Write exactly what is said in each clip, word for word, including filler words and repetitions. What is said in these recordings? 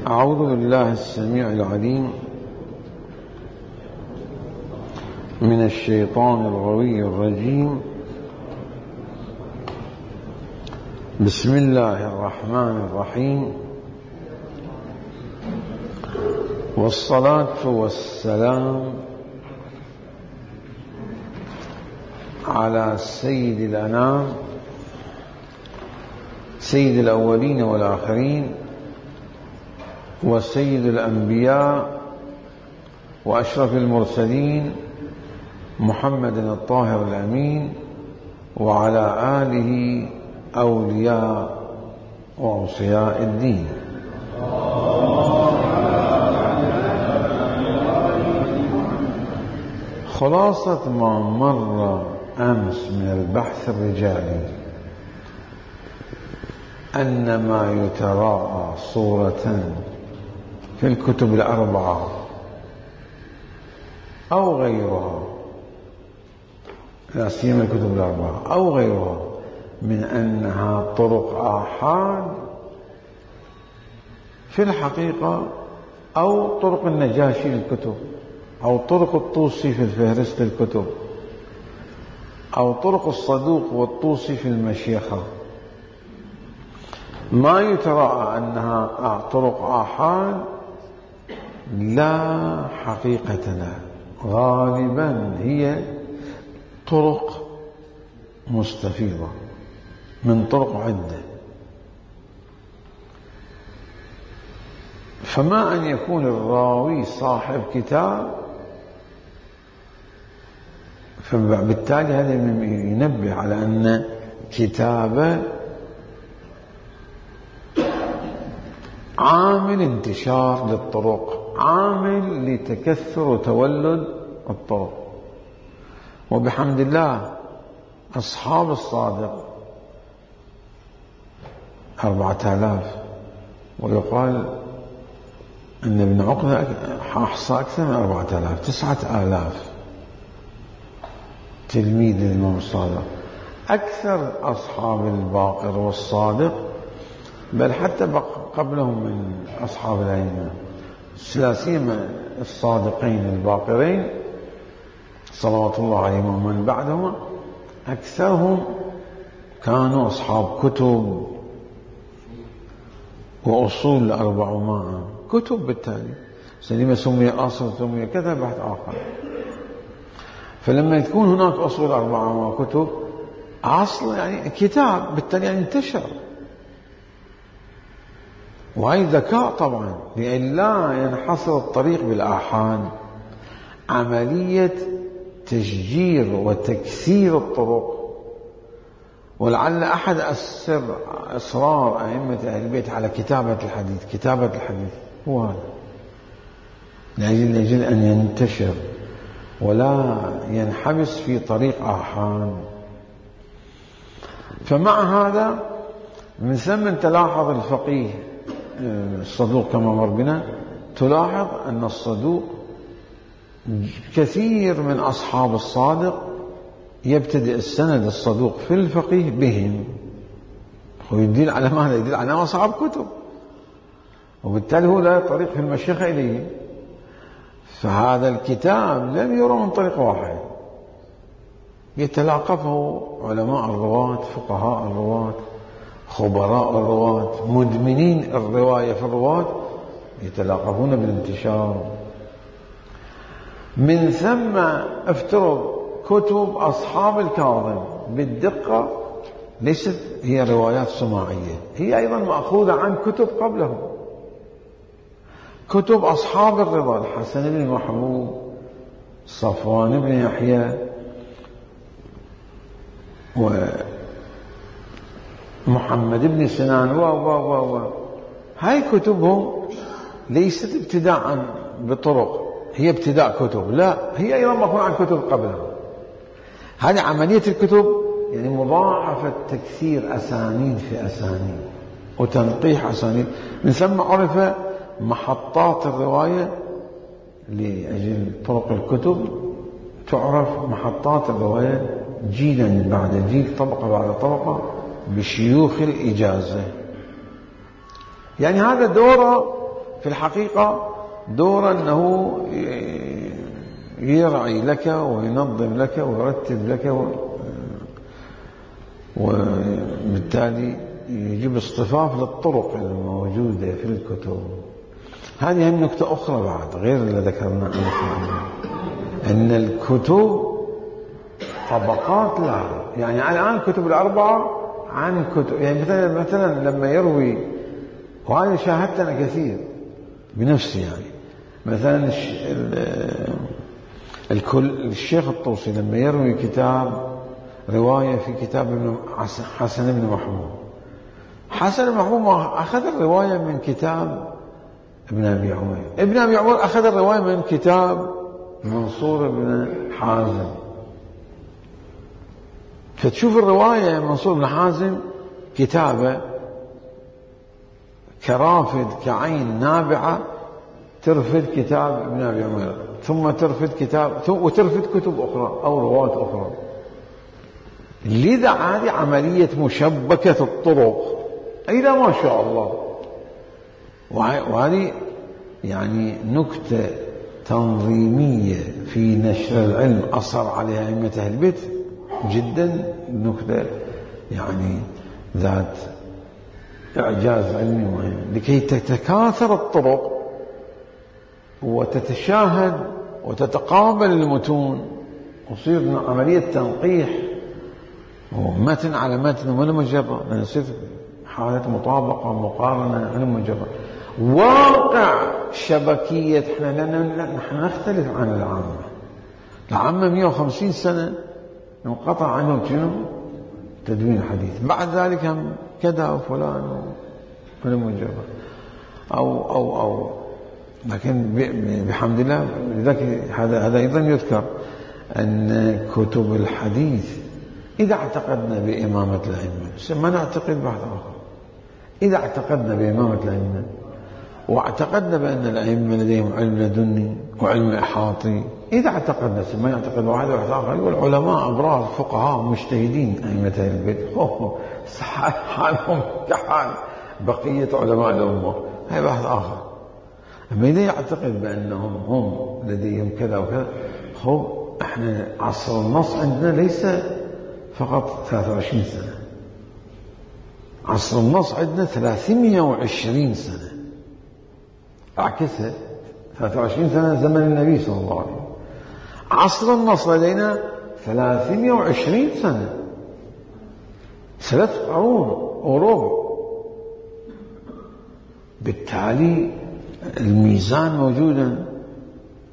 أعوذ بالله السميع العليم من الشيطان الغوي الرجيم. بسم الله الرحمن الرحيم، والصلاة والسلام على سيد الأنام سيد الأولين والآخرين وسيد الأنبياء وأشرف المرسلين محمد الطاهر الأمين وعلى آله أولياء وأوصياء الدين. خلاصة ما مر أمس من البحث الرجالي أن ما يتراءى صورة في الكتب الأربعة أو غيرها، لا سيما الكتب الأربعة أو غيرها، من أنها طرق آحاد في الحقيقة، أو طرق النجاشي للكتب، أو طرق الطوسي في الفهرست الكتب، أو طرق الصدوق والطوسي في المشيخة، ما يتراءى أنها طرق آحاد لا حقيقة لها، غالبا هي طرق مستفيضة من طرق عدة. فما أن يكون الراوي صاحب كتاب، فبالتالي هذا ينبه على أن كتابه عامل انتشار للطرق، عامل لتكثر وتولد الطرق. وبحمد الله أصحاب الصادق أربعة آلاف، ويقال أن ابن عقدة أحصى أكثر من أربعة آلاف، تسعة آلاف تلميذ للإمام الصادق، أكثر أصحاب الباقر والصادق، بل حتى قبلهم من أصحاب الأئمة، لا سيما الصادقين الباقرين صلوات الله عليهم ومن بعدهم، أكثرهم كانوا أصحاب كتب وأصول الأربعمائة، كتب بالتالي لما سمي أصل سمي كذا بحث آخر. فلما يكون هناك أصول أربعمائة كتب، أصل يعني كتاب بالتالي يعني انتشر، وهي ذكاء طبعا، لأن لا ينحصر الطريق بالآحاد، عملية تشجير وتكسير الطرق. ولعل أحد أسر أسرار أئمة أهل البيت على كتابة الحديث كتابة الحديث هو هذا، لأجل, لأجل أن ينتشر ولا ينحبس في طريق آحاد. فمع هذا من ثم تلاحظ الفقيه الصدوق كما مر بنا، تلاحظ أن الصدوق كثير من أصحاب الصادق يبتدئ السند الصدوق في الفقيه بهم، ويدل على ماذا؟ يدل على أصحاب كتب، وبالتالي هو لا طريق في المشيخة إليه. فهذا الكتاب لم يرى من طريق واحد، يتلاقفه علماء الرواة، فقهاء الرواة، خبراء الرواة، مدمنين الرواية في الرواة، يتلاقفون بالانتشار. من ثم افترض كتب أصحاب الكاظم بالدقة ليست هي روايات سماعية، هي أيضا مأخوذة عن كتب قبلهم، كتب أصحاب الرضا، الحسن بن محبوب، صفوان بن يحيى، ومحمد بن سنان و و و و هاي كتبهم ليست ابتداء بطرق، هي ابتداء كتب، لا هي أيضا مأخوذة عن كتب قبلهم. هذه عملية الكتب يعني مضاعفة تكثير أسانيد في أسانيد وتنقيح أسانيد. من ثم عرف محطات الرواية لأجل طرق الكتب، تعرف محطات الرواية جيلا بعد جيل، طبقة بعد طبقة، بشيوخ الإجازة. يعني هذا دوره في الحقيقة، دور أنه يرعي لك وينظم لك ويرتب لك، وبالتالي يجيب اصطفاف للطرق الموجودة في الكتب. هذه هم نكتة أخرى بعد غير اللي ذكرنا أن الكتب طبقات لها. يعني الآن كتب الأربعة عن كتب، يعني مثلا مثلا لما يروي، وهذا شاهدت أنا كثير بنفسي، يعني مثلا الشيخ الطوسي لما يروي كتاب رواية في كتاب ابن حسن بن محمود، حسن بن محمود أخذ الرواية من كتاب ابن أبي عمر، ابن أبي عمر أخذ الرواية من كتاب منصور بن حازم. فتشوف الرواية منصور بن حازم كتابة كرافد كعين نابعة ترفد كتاب ابن أبي عمر، ثم ترفد كتاب وترفد كتب أخرى أو روايات أخرى. لذا هذه عملية مشبكة الطرق إلى ما شاء الله. وهذه يعني نكتة تنظيمية في نشر العلم أصر عليها أئمة أهل البيت جدا، نكتة يعني ذات إعجاز علمي مهم، لكي تتكاثر الطرق وتتشاهد وتتقابل المتون ويصير عملية تنقيح ومتن على متن ولا مجرد، يصير حالة مطابقة ومقارنة على مجرد. واقع شبكية احنا لأن نحن نختلف عن العامة. العامة مئة وخمسين سنة انقطع عنهم شنو؟ تدوين الحديث، بعد ذلك هم كذا وفلان ولا مجرد أو أو أو لكن بحمد الله لذلك هذا هذا أيضا يذكر أن كتب الحديث إذا اعتقدنا بإمامة الأئمة ما نعتقد بعد آخر. إذا اعتقدنا بإمامة الأئمة واعتقدنا بأن الأئمة لديهم علم لدني وعلم إحاطي، إذا اعتقدنا ما يعتقد واحد واحد آخر، والعلماء أبرار فقهاء مجتهدين أئمة أهل البيت حالهم كحال بقية علماء الأمة، هي بحث آخر. أما إذا يعتقد بأنهم هم لديهم كذا وكذا، هو احنا عصر النص عندنا ليس فقط ثلاثة وعشرين سنة، عصر النص عندنا ثلاثمئة وعشرين سنة، أعكسها ثلاثة وعشرين سنة زمن النبي صلى الله عليه وسلم، عصر النص لدينا ثلاثمئة وعشرين سنة، ثلاث قرون وربع. بالتالي الميزان موجودا،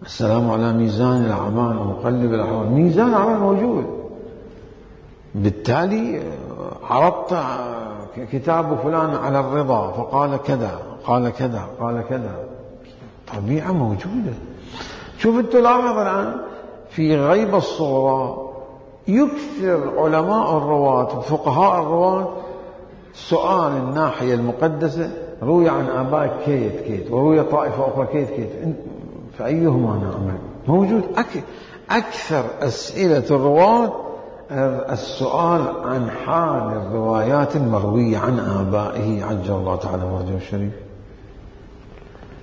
السلام على ميزان الأعمال ومقلب الأحوال، ميزان الأعمال موجود. بالتالي عرضت كتاب فلان على الرضا فقال كذا قال كذا قال كذا، طبيعة موجودة. شوف انت لاحظ الآن في غيب الصغرى يكثر علماء الرواة وفقهاء الرواة سؤال الناحية المقدسة، روي عن آباء كيت كيت وروي طائفة أخرى كيت كيت، فأيهما نعمل؟ موجود. أكثر أسئلة الرواة السؤال عن حال الروايات المروية عن آبائه عجل الله تعالى فرجه الشريف.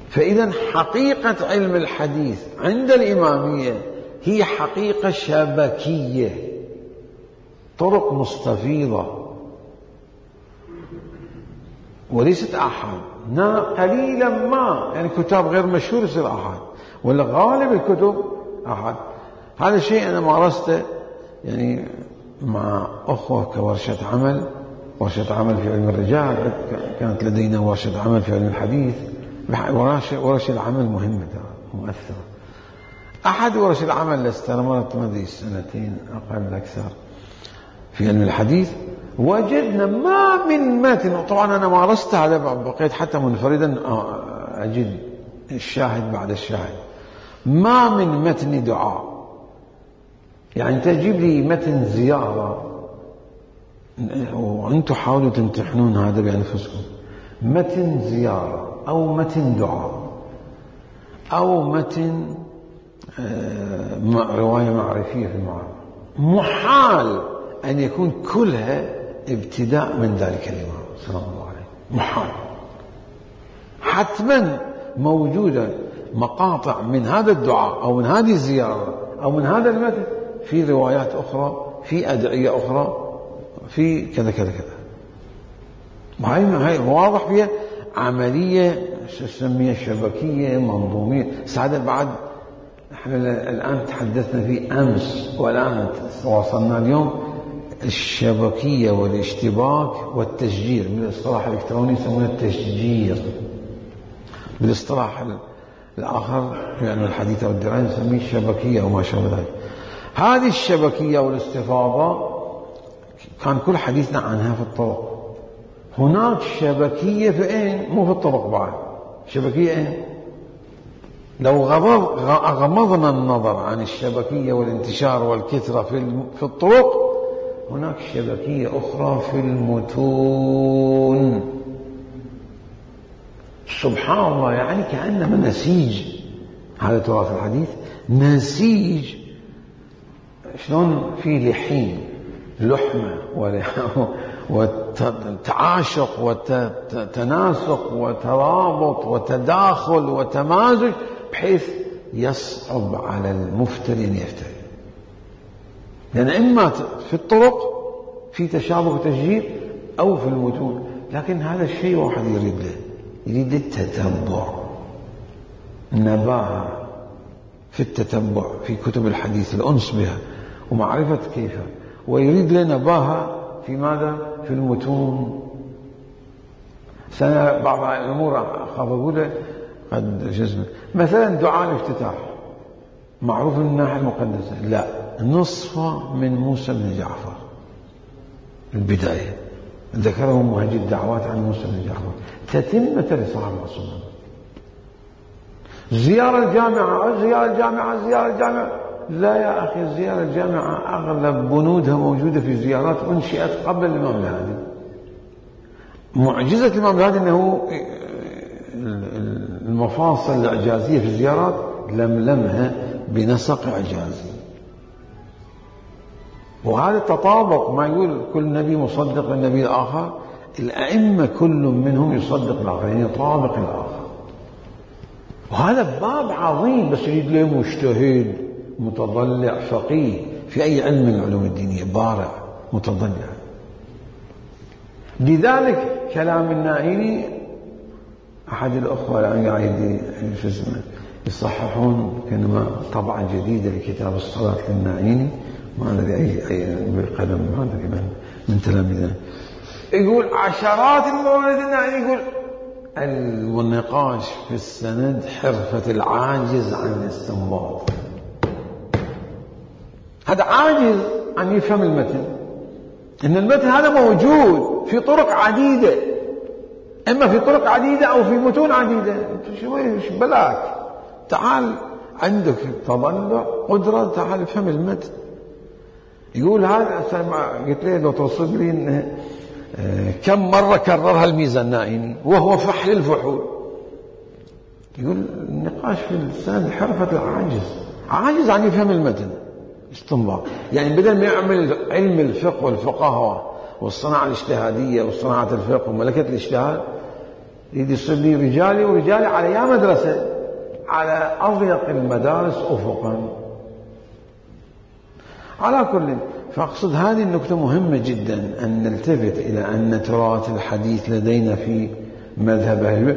فإذا حقيقة علم الحديث عند الإمامية هي حقيقة شبكية، طرق مستفيضة وليست أحد. قليلا ما يعني كتاب غير مشهور يصير أحد، ولا غالب الكتب أحد. هذا الشيء أنا مارسته يعني مع أخوة كورشة عمل، ورشة عمل في علم الرجال، كانت لدينا ورشة عمل في علم الحديث. ورشة العمل مهمة مؤثرة. أحد ورش العمل اللي استمرت مدري سنتين أقل أكثر في علم الحديث، وجدنا ما من متن، طبعا أنا مارست هذا بقيت حتى منفردا أجد الشاهد بعد الشاهد، ما من متن دعاء. يعني تجيب لي متن زيارة وأنتم حاولوا تمتحنون هذا بأنفسكم، متن زيارة أو متن دعاء أو متن رواية معرفية في المعارف، محال أن يكون كلها ابتداء من ذلك الإمام صلى الله عليه وسلم، محال. حتما موجودة مقاطع من هذا الدعاء أو من هذه الزيارة أو من هذا المتن في روايات أخرى، في أدعية أخرى، في كذا كذا كذا. وهي واضح فيها عملية شو نسميها شبكية منظومية. سعادة بعد احنا الآن تحدثنا في أمس والآن وصلنا اليوم الشبكية والاشتباك والتشجير. بالاصطلاح الإلكتروني يسمونه التشجير، بالاصطلاح الآخر في علم الحديث والدراية نسميه الشبكية وما شابه ذلك. هذه الشبكية والاستفاضة كان كل حديثنا عنها في الطرق. هناك شبكية في أين؟ مو في الطرق بعد. شبكية أين؟ لو غمضنا النظر عن الشبكية والانتشار والكثرة في الطرق، هناك شبكية أخرى في المتون. سبحان الله، يعني كأنما نسيج. هذا تراث الحديث نسيج. شلون في لحين لحمة وتعاشق وتناسق وترابط وتداخل وتمازج بحيث يصعب على المفتري أن يفتري. لأن إما في الطرق في تشابه وتشجير أو في المتون. لكن هذا الشيء واحد يريد له، يريد التتبع، النباهة في التتبع في كتب الحديث، الأنس بها ومعرفة كيف، ويريد له نباهة في ماذا؟ في المتون. سنة بعض الأمور أخاف أقول قد جزم مثلا دعاء الافتتاح معروف من الناحية المقدسة، لا، نصفه من موسى بن جعفر. البداية ذكره مهاجي الدعوات عن موسى بن جعفر، تتمة لصاحب الرسول. زيارة الجامعة زيارة الجامعة زيارة الجامعة لا يا أخي، الزيارة الجامعة أغلب بنودها موجودة في زيارات أنشئت قبل الإمام الهادي. معجزة الإمام الهادي أنه المفاصل الإعجازية في الزيارات لملمها بنسق إعجازي. وهذا التطابق، ما يقول كل نبي مصدق للنبي الآخر، الأئمة كل منهم يصدق الآخر، يعني يطابق الآخر. وهذا باب عظيم، بس يريد له مجتهد متضلع فقيه في أي علم من العلوم الدينية، بارع متضلع. لذلك كلام النائيني أحد الأخوة يعني قاعد يصححون كلمة طبعة جديدة لكتاب الصلاة للنائيني، ما أدري أي أي بالقلم، ما أدري من من تلاميذه، يقول عشرات الموارد النائيني، يقول النقاش في السند حرفة العاجز عن الاستنباط. هذا عاجز عن يفهم المتن، إن المتن هذا موجود في طرق عديدة، إما في طرق عديدة أو في متون عديدة. شوي بلاك، تعال عندك تضلع قدرة، تعال افهم المتن. يقول هذا قلت له لو توصف لي إنه كم مرة كررها الميزان النائيني وهو فحل الفحول. يقول النقاش في السند حرفة العاجز، عاجز عن يفهم المتن استنباط. يعني بدل ما يعمل علم الفقه والفقهاء والصناعة الاجتهادية وصناعة الفقه وملكة الاجتهاد، يريد يصير لي رجالي ورجالي على يا مدرسة، على أضيق المدارس أفقا. على كل، فأقصد هذه النكتة مهمة جدا، أن نلتفت إلى أن تراث الحديث لدينا في مذهب أهل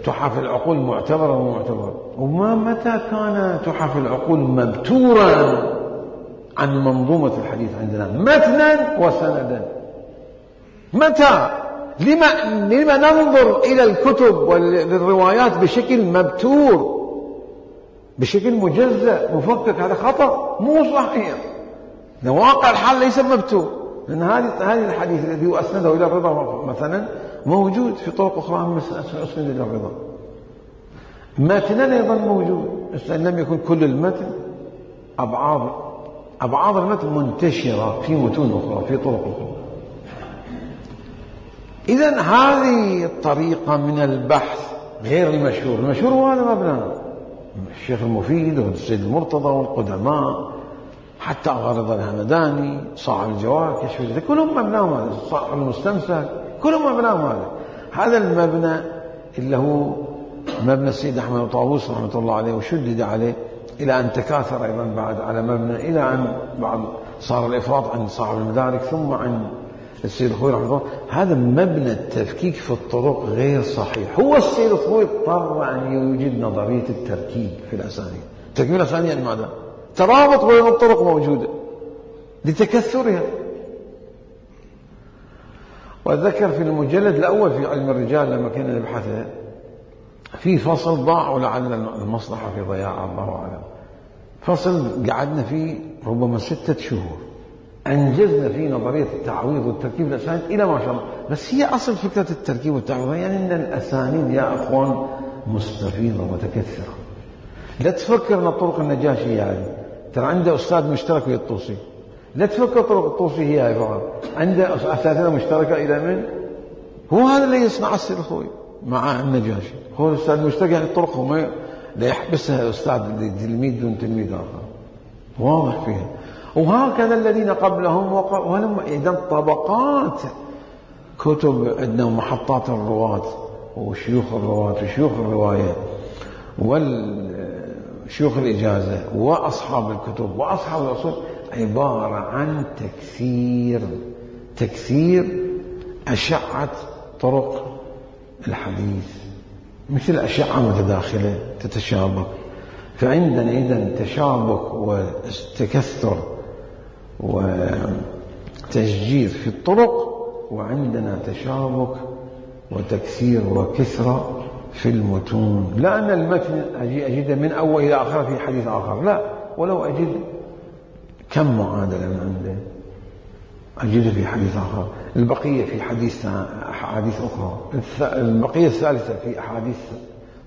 تحف العقول معتبرة ومعتبرة. وما متى كان تحف العقول مبتورا عن منظومة الحديث عندنا متنا وسندا؟ متى؟ لما, لما ننظر إلى الكتب والروايات بشكل مبتور، بشكل مجزأ مفكك؟ هذا خطأ، مو صحيح. واقع الحال ليس مبتور، لأن هذه هذه الحديث الذي هو أسنده إلى الرضا مثلا موجود في طرق أخرى أسند إلى الرضا. متنا أيضا موجود، إن لم يكن كل المتن، أبعاض أبعاض المتن منتشرة في متون أخرى في طرق أخرى. إذن هذه الطريقة من البحث غير المشهور. المشهور هو هذا مبنى الشيخ المفيد والسيد المرتضى والقدماء، حتى غرض الهمداني، صاحب الجوار، كشف الذكر، كلهم مبناهم هذا، صاحب المستمسك، كلهم مبناهم هذا. هذا المبنى اللي هو مبنى السيد أحمد بن طاووس رحمة الله عليه، وشدد عليه إلى أن تكاثر أيضا بعد على مبنى، إلى أن بعد صار الإفراط عند صاحب المدارك ثم عند السيد الخوئي رحمه الله. هذا مبنى التفكيك في الطرق غير صحيح. هو السيد الخوئي اضطر أن يوجد نظرية التركيب في الأسانيد. التركيب الأسانيد يعني ماذا؟ ترابط بين الطرق موجودة لتكثرها. وأتذكر في المجلد الأول في علم الرجال لما كنا نبحثه في فصل ضاع، ولعل المصلحة في ضياع الله أعلم، فصل قعدنا فيه ربما ستة شهور أنجزنا فيه نظرية التعويض والتركيب الأسانيد إلى ما شاء الله. بس هي أصل فكرة التركيب والتعويض يعني أن الأسانيد يا أخوان مستفيضة متكثرة. لا تفكر أن طرق النجاشي هي هذه، ترى عنده أستاذ مشترك ويا الطوسي. لا تفكر طرق الطوسي هي هاي فقط، عنده أساتذة مشتركة إلى من؟ هو هذا اللي يصنع السيد الخوئي مع النجاشي. هو الأستاذ المشترك يعني الطرق ما لا يحبسها الأستاذ تلميذ دون تلميذ آخر، واضح فيها. وهكذا الذين قبلهم ولم. إذا طبقات كتب عندنا محطات الرواة وشيوخ الرواة وشيوخ الرواية والشيوخ الإجازة وأصحاب الكتب وأصحاب الأصول عبارة عن تكثير تكثير أشعة طرق الحديث، مثل أشعة متداخلة تتشابك. فعندنا إذن تشابك وتكثر وتشجير في الطرق، وعندنا تشابك وتكثير وكثرة في المتون. لا أن المتن أجي أجد من أول إلى آخر في حديث آخر، لا، ولو أجد كم معادلة من عنده أجد في حديث آخر، البقية في حديث أحاديث أخرى، البقية الثالثة في أحاديث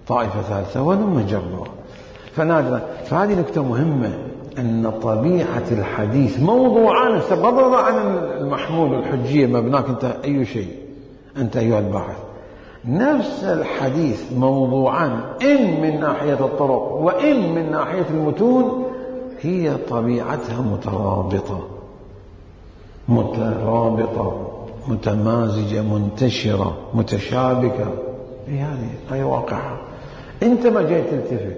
طائفة ثالثة، ولم جربها. فنادرا. فهذه نكتة مهمة، أن طبيعة الحديث موضوعان بغض عن المحمول والحجية مبناك أنت أي شيء أنت أيها الباحث. نفس الحديث موضوعان، إن من ناحية الطرق وإن من ناحية المتون، هي طبيعتها مترابطة مترابطة متمازجة منتشرة متشابكة. هي هذه هي واقعها، أنت ما جاي تلتفت.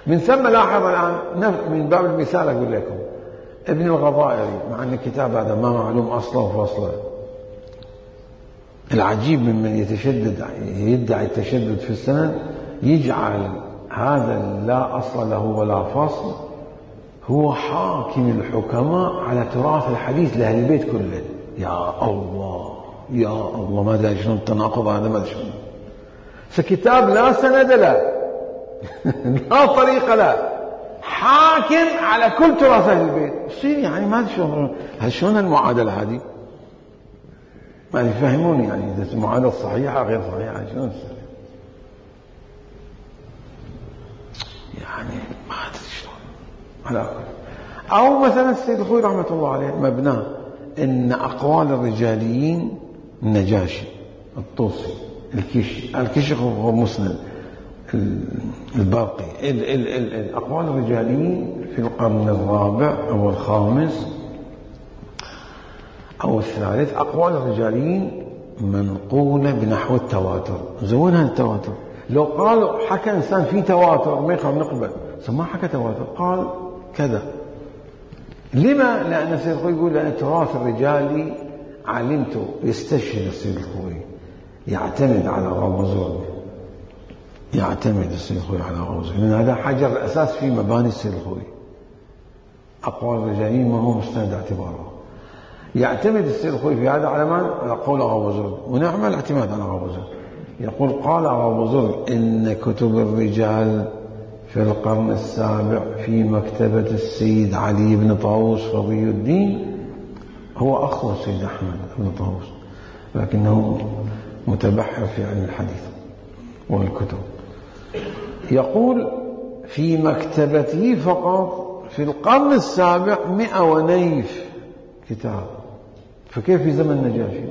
من ثم لاحظ الآن من باب المثال أقول لكم ابن الغضائري، مع أن الكتاب هذا ما معلوم أصله وفصله. العجيب ممن يتشدد يدعي التشدد في السند يجعل هذا لا أصل له ولا فصل هو حاكم الحكماء على تراث الحديث لأهل البيت كله. يا الله يا الله، ما أدري شلون التناقض هذا، ما أدري شلون. فكتاب لا سند له لا طريقة له، حاكم على كل تراث أهل البيت. يصير يعني ما أدري شلون شلون المعادلة هذه، ما يفهموني يعني إذا المعادلة صحيحة غير صحيحة شلون تصير يعني، ما أدري شلون. على أو مثلا السيد الخوئي رحمة الله عليه مبناه إن أقوال الرجاليين النجاشي الطوسي الكشي الكشي هو مسند الباقي ال ال ال الأقوال الرجاليين في القرن الرابع أو الخامس أو الثالث، أقوال الرجاليين منقولة بنحو التواتر. زونها التواتر. لو قالوا حكى إنسان في تواتر ما يخاف نقبل، ما حكى تواتر، قال كذا. لما؟ لأن السيد الخوئي يقول لأن التراث الرجالي علمته، يستشهد السيد الخوئي يعتمد على غوزون، يعتمد السيد الخوئي على غوزون، لأن هذا حجر الأساس في مباني السيد الخوئي. أقوال الرجاليين ما هو مستند اعتباره. يعتمد السيد الخوئي في هذا على من؟ على قول غوزون، ونعم الاعتماد على غوزون. يقول قال غوزون إن كتب الرجال في القرن السابع في مكتبة السيد علي بن طاووس رضي الدين، هو أخو السيد أحمد بن طاووس لكنه متبحر في علم الحديث والكتب. يقول في مكتبته فقط في القرن السابع مئة ونيف كتاب. فكيف في زمن النجاشي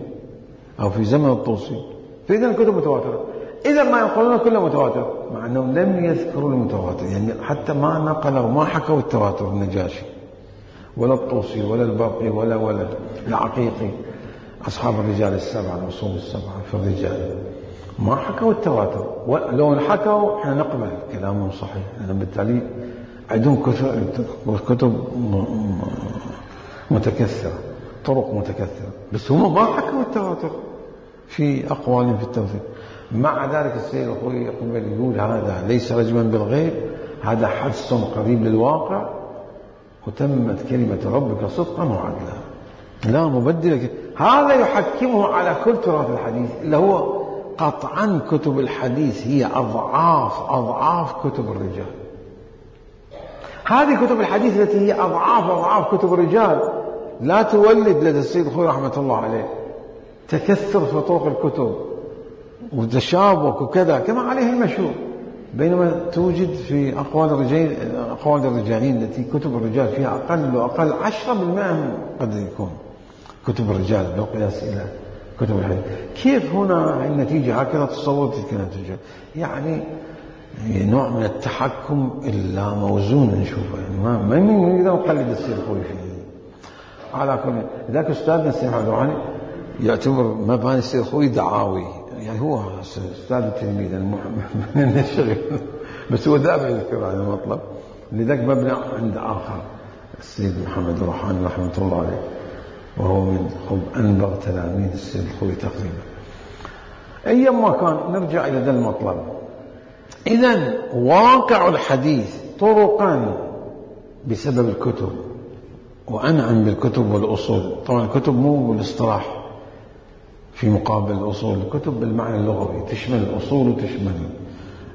أو في زمن الطوسي؟ فإذا الكتب متواترة. إذا ما ينقلون كله متواتر، مع أنهم لم يذكروا المتواتر، يعني حتى ما نقلوا ما حكوا التواتر النجاشي ولا الطوسي ولا الباقي ولا ولا العقيقي، أصحاب الرجال السبعة الأصول السبعة في الرجال ما حكوا التواتر، ولو حكوا احنا نقبل كلامهم صحيح، لأن بالتالي عندهم كتب متكثرة، طرق متكثرة، بس هم ما حكوا التواتر في أقوالهم في التواتر. مع ذلك السيد الخوئي يقول هذا ليس رجما بالغيب، هذا حدث قريب للواقع، وتمت كلمة ربك صدقا وعدلا لا مبدل. هذا يحكمه على كل تراث الحديث، اللي هو قطعا كتب الحديث هي أضعاف أضعاف كتب الرجال. هذه كتب الحديث التي هي أضعاف أضعاف كتب الرجال لا تولد لدى السيد الخوئي رحمة الله عليه تكثر في طرق الكتب وتشابك وكذا كما عليه المشهور، بينما توجد في أقوال الرجال أقوال الرجالين التي كتب الرجال فيها أقل وأقل عشرة بالمئة قد يكون كتب الرجال بالقياس إلى كتب الحديث. كيف هنا النتيجة هكذا تصور تلك النتيجة؟ يعني نوع من التحكم اللا موزون نشوفه، يعني ما ما نقدر نقلد السيد الخوئي فيه. على كل ذاك أستاذنا السيد عبد الغني يعتبر مباني السيد الخوئي دعاوي، يعني هو أستاذ التلميذ من الشغل، بس هو دائما يذكر هذا المطلب. لذلك مبنى عند آخر السيد محمد الروحاني رحمة الله عليه، وهو من أنبغ تلاميذ السيد الخوئي تقريبا. أيما كان نرجع إلى ذا المطلب. إذن واقع الحديث طرقا بسبب الكتب، وأنعم بالكتب والأصول. طبعا الكتب مو بالاصطلاح في مقابل الأصول، الكتب بالمعنى اللغوي تشمل الأصول وتشمل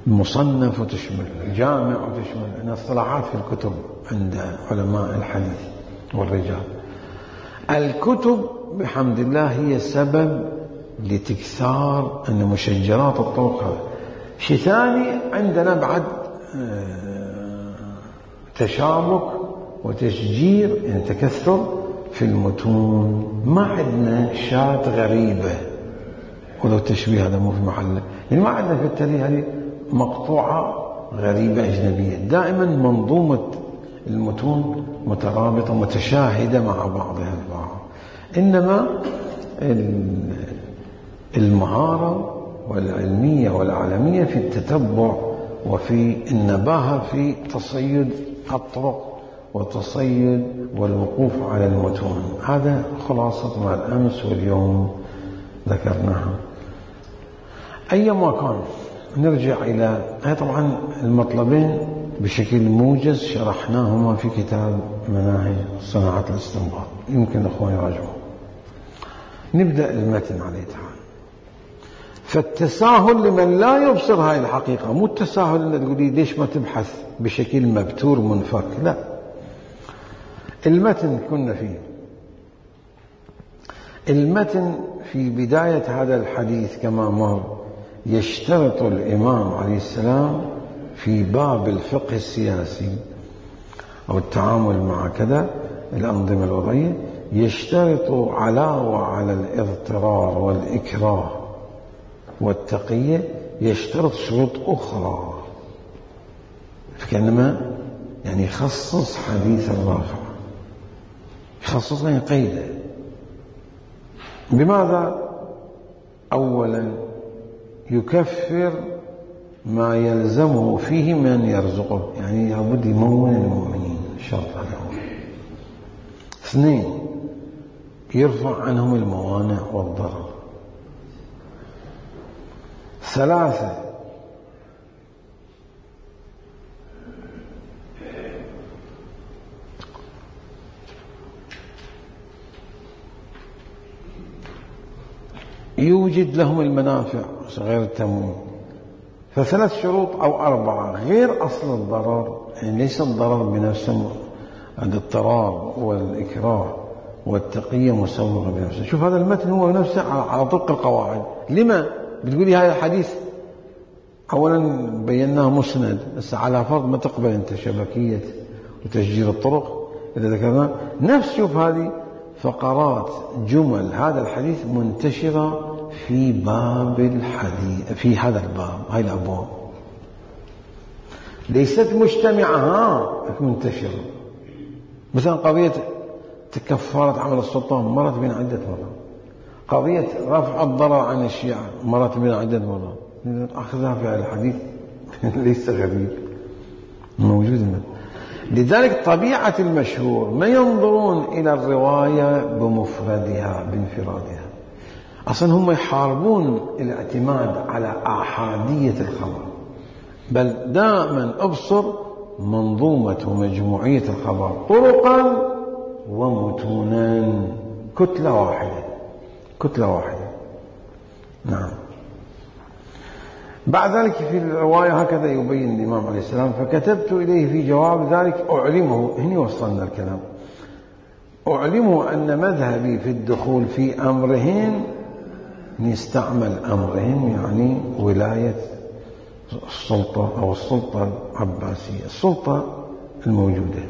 المصنف وتشمل الجامع وتشمل أن اصطلاحات في الكتب عند علماء الحديث والرجال. الكتب بحمد الله هي سبب لتكثار أن مشجرات الطرق هذا. شيء ثاني عندنا بعد تشابك وتشجير، يعني تكثر في المتون. ما عندنا شات غريبة، ولو تشبيه هذا مو في محله، يعني ما عندنا في التاريخ هذه مقطوعة غريبة أجنبية. دائما منظومة المتون مترابطة متشاهدة مع بعضها البعض. إنما المهارة والعلمية والعالمية في التتبع وفي النباهة في تصيد الطرق وتصيد والوقوف على المتون. هذا خلاصة ما الأمس واليوم ذكرناها. أيما كان نرجع إلى طبعا المطلبين بشكل موجز شرحناهما في كتاب مناهج صناعة الاستنباط، يمكن الأخوان يراجعوا. نبدأ المتن عليه تعالى. فالتساهل لمن لا يبصر هاي الحقيقة، مو التساهل اللي تقولي ليش ما تبحث بشكل مبتور منفك، لا. المتن كنا فيه، المتن في بداية هذا الحديث كما مر يشترط الإمام عليه السلام في باب الفقه السياسي أو التعامل مع كذا الأنظمة الوضعية، يشترط علاوة على الاضطرار والإكراه والتقية يشترط شروط أخرى، فكأنما يعني يخصص حديث الرافع، يخصص يعني قيده. بماذا؟ أولا يكفر ما يلزمه فيه من يرزقه، يعني لابد يمون المؤمنين، شرط هذا هو. اثنين يرفع عنهم الموانع والضرر. ثلاثة يوجد لهم المنافع غير التموين. فثلاث شروط أو أربعة غير أصل الضرر، يعني ليس الضرر بنفسه، الاضطرار والإكراه والتقية مسوغة بنفسه. شوف هذا المتن هو نفسه على طبق القواعد. لما بتقولي هذا الحديث؟ أولا بيناه مسند، بس على فرض ما تقبل أنت شبكية وتسجيل الطرق إذا ذكرنا نفس. شوف هذه فقرات جمل هذا الحديث منتشرة في باب الحديث، في هذا الباب، هاي الأبواب ليست مجتمعة، ها منتشرة. مثلا قضية كفارة عمل السلطان مرت بين عدة مرات، قضية رفع الضرر عن الشيعة مرت بنا عدة مرات أخذها في هذا الحديث ليس غريب موجود. لذلك طبيعة المشهور ما ينظرون إلى الرواية بمفردها بانفرادها، أصلا هم يحاربون الاعتماد على أحادية الخبر، بل دائما أبصر منظومة ومجموعية الخبر طرقا ومتونا، كتلة واحدة كتلة واحدة. نعم. بعد ذلك في الرواية هكذا يبين الإمام عليه السلام: فكتبت إليه في جواب ذلك أعلمه، هنا وصلنا الكلام، أعلمه أن مذهبي في الدخول في أمرهن، نستعمل أمرهن يعني ولاية السلطة أو السلطة العباسية، السلطة الموجودة،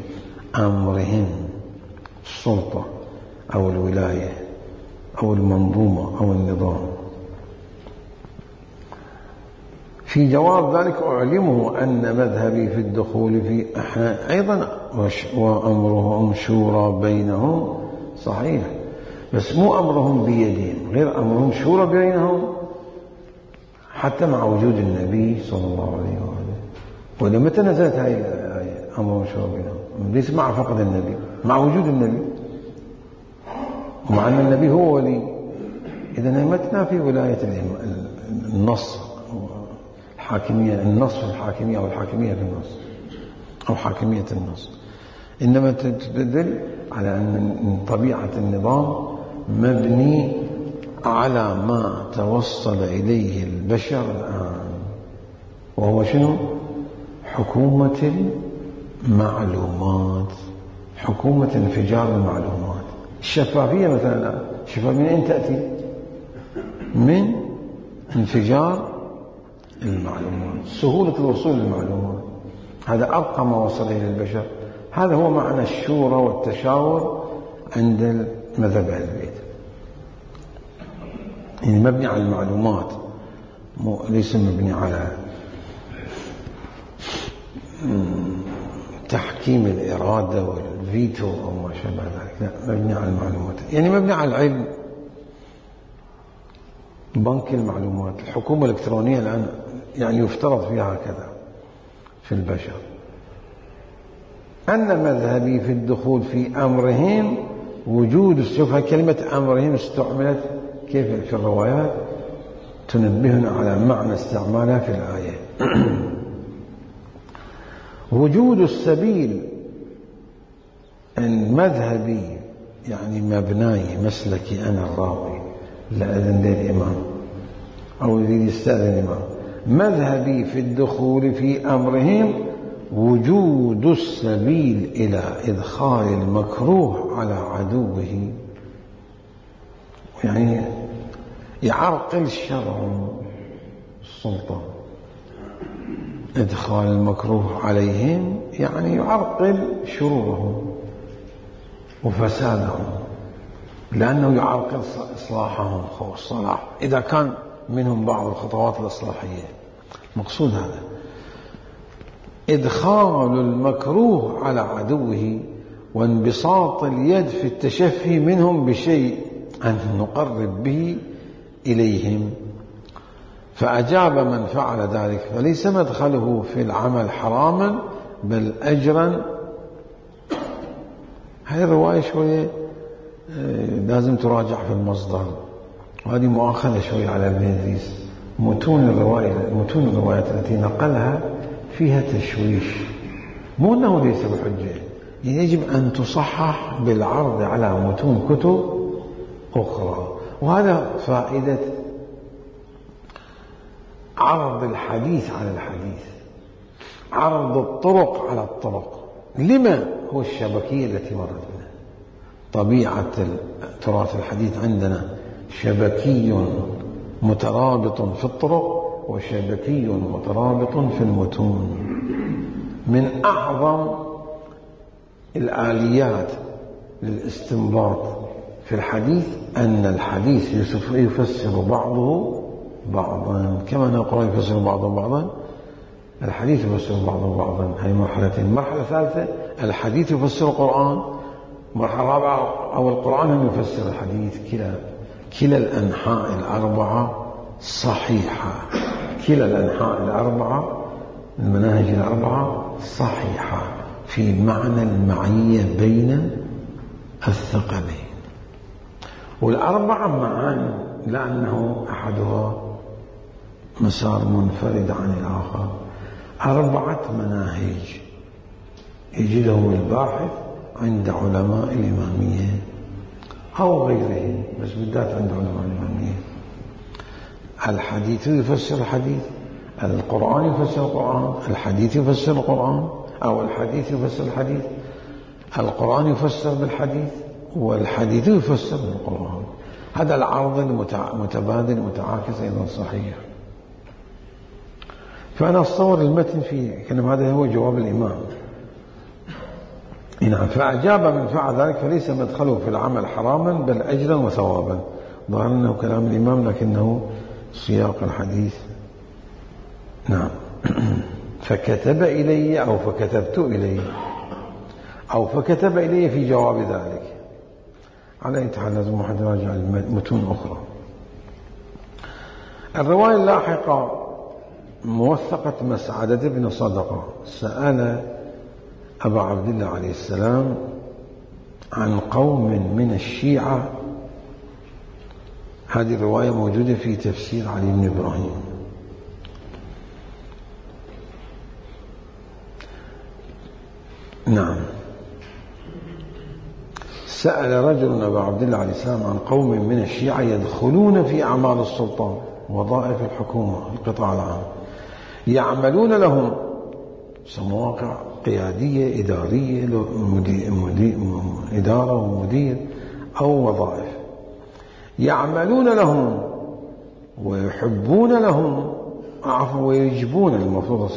أمرهن السلطة أو الولاية أو المنظومة أو النظام. في جواب ذلك أعلمه أن مذهبي في الدخول في أحنا أيضا وأمرهم شورى بينهم، صحيح، بس مو أمرهم بيدهم، غير أمرهم شورى بينهم حتى مع وجود النبي صلى الله عليه وآله. وإذا متى نزلت هذه الآية أمرهم شورى بينهم؟ ليس مع فقد النبي، مع وجود النبي، ومع أن النبي هو ولي. إذا ما تنافي ولاية النص الحاكمية، النص في الحاكمية أو الحاكمية في النص أو حاكمية النص، إنما تدل على أن طبيعة النظام مبني على ما توصل إليه البشر الآن، وهو شنو؟ حكومة المعلومات، حكومة انفجار المعلومات. الشفافية مثلا، الشفافية من أين تأتي؟ من انفجار المعلومات، سهولة الوصول للمعلومات، هذا أرقى ما وصل إليه البشر. هذا هو معنى الشورى والتشاور عند مذهب أهل البيت، يعني مبني على المعلومات، ليس مبني على تحكيم الإرادة والفيتو أو ما شابه ذلك، لا، مبني على المعلومات، يعني مبني على العلم. بنك المعلومات، الحكومة الإلكترونية الآن يعني يفترض فيها هكذا في البشر. أن مذهبي في الدخول في أمرهم وجود، شوف كلمة أمرهم استعملت كيف في الروايات، تنبهنا على معنى استعمالها في الآية. وجود السبيل، أن مذهبي يعني مبناي مسلكي أنا الراوي، لا أذن للإمام أو يريد يستأذن الإمام، مذهبي في الدخول في أمرهم وجود السبيل إلى إدخال المكروه على عدوه، يعني يعرقل شرع السلطة. إدخال المكروه عليهم يعني يعرقل شرورهم وفسادهم، لأنه يعرقل إصلاحهم والصلاح إذا كان منهم بعض الخطوات الإصلاحية. مقصود هذا إدخال المكروه على عدوه وانبساط اليد في التشفي منهم بشيء أن نقرب به إليهم. فأجاب من فعل ذلك، فليس مدخله في العمل حراما بل أجرا. هذه الرواية شوية لازم تراجع في المصدر، وهذه مؤاخذة شوية على البيزيس. متون الرواية متون الروايات التي نقلها فيها تشويش، مو أنه ليس بحجة، يجب أن تصحح بالعرض على متون كتب أخرى. وهذا فائدة عرض الحديث على الحديث، عرض الطرق على الطرق. لما؟ هو الشبكية التي مرت بنا. طبيعة تراث الحديث عندنا شبكي مترابط في الطرق وشبكي مترابط في المتون. من أعظم الآليات للاستنباط في الحديث أن الحديث يفسر بعضه بعضا، كما أن القرآن يفسر بعضه بعضا، الحديث يفسر بعضه بعضا. هذه مرحلتين. مرحلة ثالثة الحديث يفسر القرآن، مرحلة رابعة أو القرآن هم يفسر الحديث. كلا كلا الأنحاء الأربعة صحيحة، كلا الأنحاء الأربعة المناهج الأربعة صحيحة في معنى المعية بين الثقلين. والأربعة معا لأنه أحدها مسار منفرد عن الآخر، أربعة مناهج يجدهم الباحث عند علماء الإمامية أو غيرهم، بس بالذات عند علماء الإمامية. الحديث يفسر الحديث، القرآن يفسر القرآن، الحديث يفسر القرآن، أو الحديث يفسر الحديث، القرآن يفسر بالحديث، والحديث يفسر بالقرآن. هذا العرض المتبادل المتعاكس أيضا صحيح. فأنا أتصور المتن في كلام هذا هو جواب الإمام. نعم. فأجاب من فعل ذلك فليس مدخله في العمل حراما بل أجرا وثوابا. ظهر أنه كلام الإمام لكنه سياق الحديث. نعم. فكتب إلي أو فكتبت إلي أو فكتب إلي في جواب ذلك. على أي حال لازم واحد يراجع المتون أخرى. الرواية اللاحقة موثقة مسعدة بن صدقة سأل أبا عبد الله عليه السلام عن قوم من الشيعة. هذه الرواية موجودة في تفسير علي بن إبراهيم. نعم. سأل رجل أبا عبد الله عليه السلام عن قوم من الشيعة يدخلون في أعمال السلطان وظائف الحكومة القطاع العام، يعملون لهم مواقع قيادية إدارية مدير مدير إدارة ومدير أو وظائف، يعملون لهم ويحبون لهم عفوا ويجبون المفروض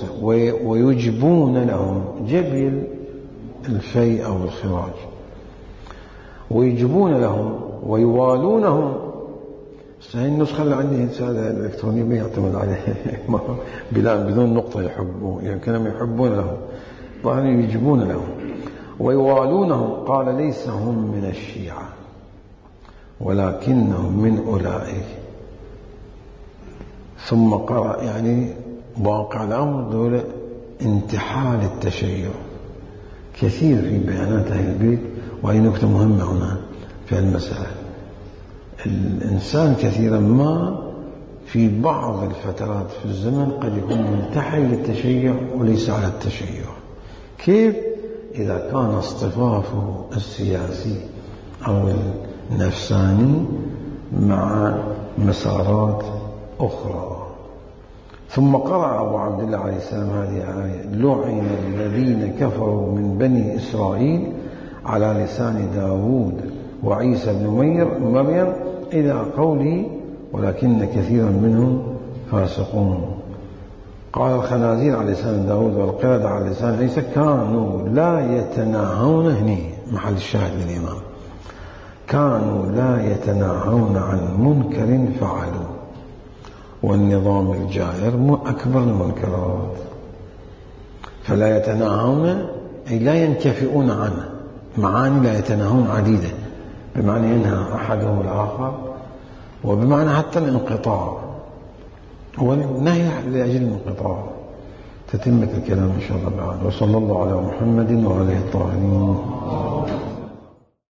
ويجبون لهم جبل الفيء أو الخراج، ويجبون لهم ويوالونهم. هاي النسخة اللي عندي رسالة الإلكترونية ما يعتمد عليها بلا بدون نقطة يحبون، يعني كانوا يحبون لهم طبعا يجبون لهم ويوالونهم. قال ليس هم من الشيعة ولكنهم من أولئك. ثم قرأ يعني واقع الأمر دول انتحال التشيع كثير في بيانات أهل البيت. وهي نقطة مهمة هنا في المسألة. الإنسان كثيرا ما في بعض الفترات في الزمن قد يكون منتحل للتشيع وليس على التشيع. كيف؟ إذا كان اصطفافه السياسي أو النفساني مع مسارات أخرى. ثم قرأ أبو عبد الله عليه السلام هذه الآية: لعن الذين كفروا من بني إسرائيل على لسان داود وعيسى بن مريم إلى قوله ولكن كثيرا منهم فاسقون. قال الخنازير على لسان داود والقردة على لسان عيسى كانوا لا يتناهون، هني محل الشاهد للإمام، كانوا لا يتناهون عن منكر فعلوا. والنظام الجائر أكبر المنكرات، فلا يتناهون أي لا ينكفئون عنه. معاني لا يتناهون عديدة، بمعنى ينهى أحدهم الآخر، وبمعنى حتى الانقطاع، والنهي لأجل الانقطاع. تتمة الكلام إن شاء الله بعد. وصلى الله على محمد وعلى آله الطاهرين.